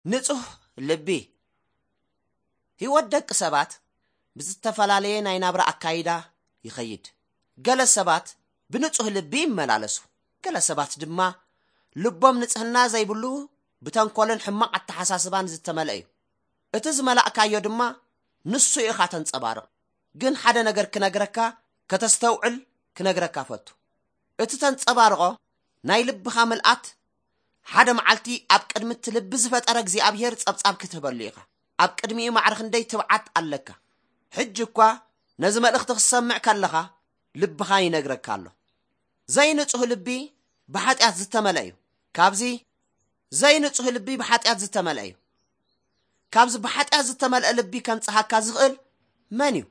ንጹህ ልቢ። ህይወት ደቂ ሰባት ብዝተፈላለየ ናይ ናብራ ኣካይዳ ይኸይድ። ገለ ሰባት ብንጹህ ልቢ ይመላለሱ፣ ገለ ሰባት ድማ ልቦም ንጽህና ዘይብሉ፣ ብተንኮልን ሕማቕ ኣተሓሳስባን ዝተመልአ እዩ። እቲ ዝመላእካዮ ድማ ንሱ ኢኻ ተንጸባርቕ። ግን ሓደ ነገር ክነግረካ፣ ከተስተውዕል ክነግረካ ፈቱ። እቲ ተንጸባርቖ ናይ ልብኻ ምልኣት፣ ሓደ መዓልቲ ኣብ ቅድሚ እቲ ልቢ ዝፈጠረ እግዚኣብሔር ጸብጻብ ክትህበሉ ኢኻ። ኣብ ቅድሚኡ ማዕረ ክንደይ ትብዓት ኣለካ። ሕጂ እኳ ነዚ መልእኽቲ ክትሰምዕ ከለኻ ልብኻ ይነግረካ ኣሎ። ዘይንጹህ ልቢ ብሓጢኣት ዝተመልአ እዩ። ካብዚ ዘይንጹህ ልቢ ብሓጢኣት ዝተመልአ እዩ። ካብዚ ብሓጢኣት ዝተመልአ ልቢ ከንጽሃካ ዝኽእል መን እዩ?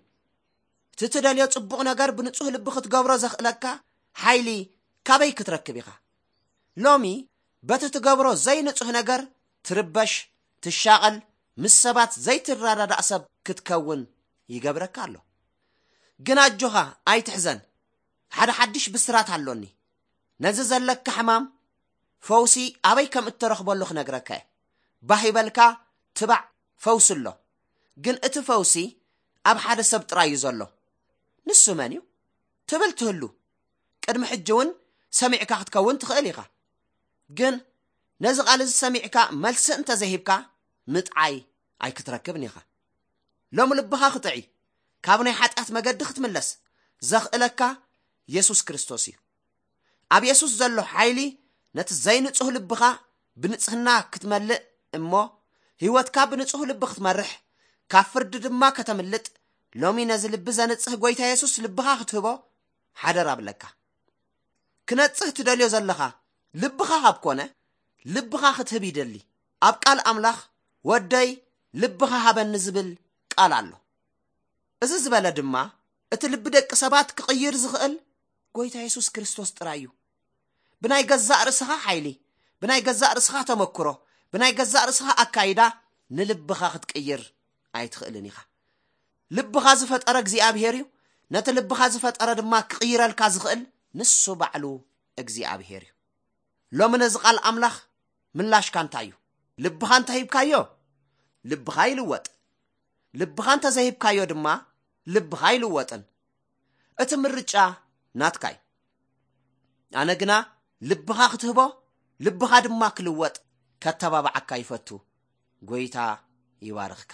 እቲ ትደልዮ ጽቡቕ ነገር ብንጹህ ልቢ ክትገብሮ ዘኽእለካ ሓይሊ ካበይ ክትረክብ ኢኻ? ሎሚ በቲ ትገብሮ ዘይንጹህ ነገር ትርበሽ፣ ትሻቐል፣ ምስ ሰባት ዘይትረዳዳእ ሰብ ክትከውን ይገብረካ ኣሎ። ግን ኣጆኻ ኣይትሕዘን፣ ሓደ ሓድሽ ብስራት ኣሎኒ። ነዚ ዘለካ ሕማም ፈውሲ ኣበይ ከም እትረኽበሉ ክነግረካ እየ። ባህ ይበልካ፣ ትባዕ፣ ፈውሲ ኣሎ። ግን እቲ ፈውሲ ኣብ ሓደ ሰብ ጥራይ እዩ ዘሎ። ንሱ መን እዩ? ትብል ትህሉ። ቅድሚ ሕጂ እውን ሰሚዕካ ክትከውን ትኽእል ኢኻ። ግን ነዚ ቃል እዚ ሰሚዕካ መልሲ እንተዘይሂብካ ምጥዓይ ኣይክትረክብን ኢኻ። ሎም ልብኻ ክጥዒ፣ ካብ ናይ ሓጢኣት መገዲ ክትምለስ ዘኽእለካ የሱስ ክርስቶስ እዩ። ኣብ የሱስ ዘሎ ሓይሊ ነቲ ዘይንጹህ ልብኻ ብንጽህና ክትመልእ እሞ ህይወትካ ብንጹህ ልቢ ክትመርሕ፣ ካብ ፍርዲ ድማ ከተምልጥ፣ ሎሚ ነዚ ልቢ ዘንጽህ ጎይታ የሱስ ልብኻ ክትህቦ ሓደራ እብለካ። ክነጽህ ትደልዮ ዘለኻ ልብኻ ካብ ኮነ፣ ልብኻ ክትህብ ይደሊ። ኣብ ቃል ኣምላኽ፣ "ወደይ ልብኻ ሃበኒ" ዝብል ቃል ኣሎ። እዚ ዝበለ ድማ እቲ ልቢ ደቂ ሰባት ክቕይር ዝኽእል ጎይታ የሱስ ክርስቶስ ጥራይ እዩ። ብናይ ገዛእ ርእስኻ ሓይሊ፣ ብናይ ገዛእ ርእስኻ ተመክሮ፣ ብናይ ገዛእ ርእስኻ ኣካይዳ ንልብኻ ክትቅይር ኣይትኽእልን ኢኻ። ልብኻ ዝፈጠረ እግዚኣብሄር እዩ። ነቲ ልብኻ ዝፈጠረ ድማ ክቕይረልካ ዝኽእል ንሱ ባዕሉ እግዚኣብሄር እዩ። ሎሚ ነዚ ቃል ኣምላኽ ምላሽካ እንታይ እዩ? ልብኻ እንተ ሂብካዮ፣ ልብኻ ይልወጥ። ልብኻ እንተ ዘይሂብካዮ ድማ፣ ልብኻ ኣይልወጥን። እቲ ምርጫ ናትካ እዩ። ኣነ ግና ልብኻ ክትህቦ፣ ልብኻ ድማ ክልወጥ ከተባብዓካ ይፈቱ። ጎይታ ይባርኽካ።